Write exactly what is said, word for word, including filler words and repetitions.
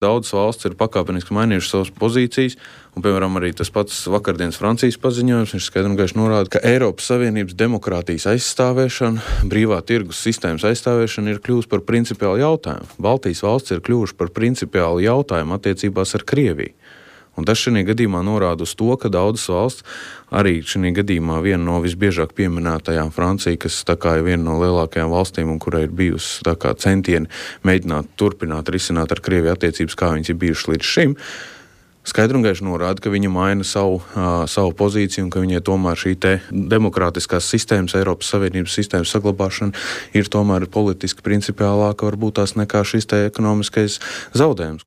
Daudzas valsts ir pakāpeniski mainījušas savas pozīcijas, un, piemēram, arī tas pats vakardienas Francijas paziņojums, viņš skaidri un gaiši norāda, ka Eiropas Savienības demokrātijas aizstāvēšana, brīvā tirgus sistēmas aizstāvēšana ir kļuvusi par principiālu jautājumu. Baltijas valsts ir kļuvuši par principiālu jautājumu attiecībās ar Krieviju. Un tas šajā gadījumā norāda uz to, ka daudzas valsts, arī šajā gadījumā viena no visbiežāk pieminētajām Francija, kas tā kā ir viena no lielākajām valstīm un kurai ir bijusi tā kā centieni mēģināt turpināt risināt ar Krieviju attiecības, kā viņas ir bijušas līdz šim, skaidri un gaiši norāda, ka viņa maina savu, uh, savu pozīciju un ka viņai tomēr šī te demokrātiskās sistēmas, Eiropas Savienības sistēmas saglabāšana ir tomēr politiski principiālāka varbūt tās nekā šis te ekonomiskais zaudējums.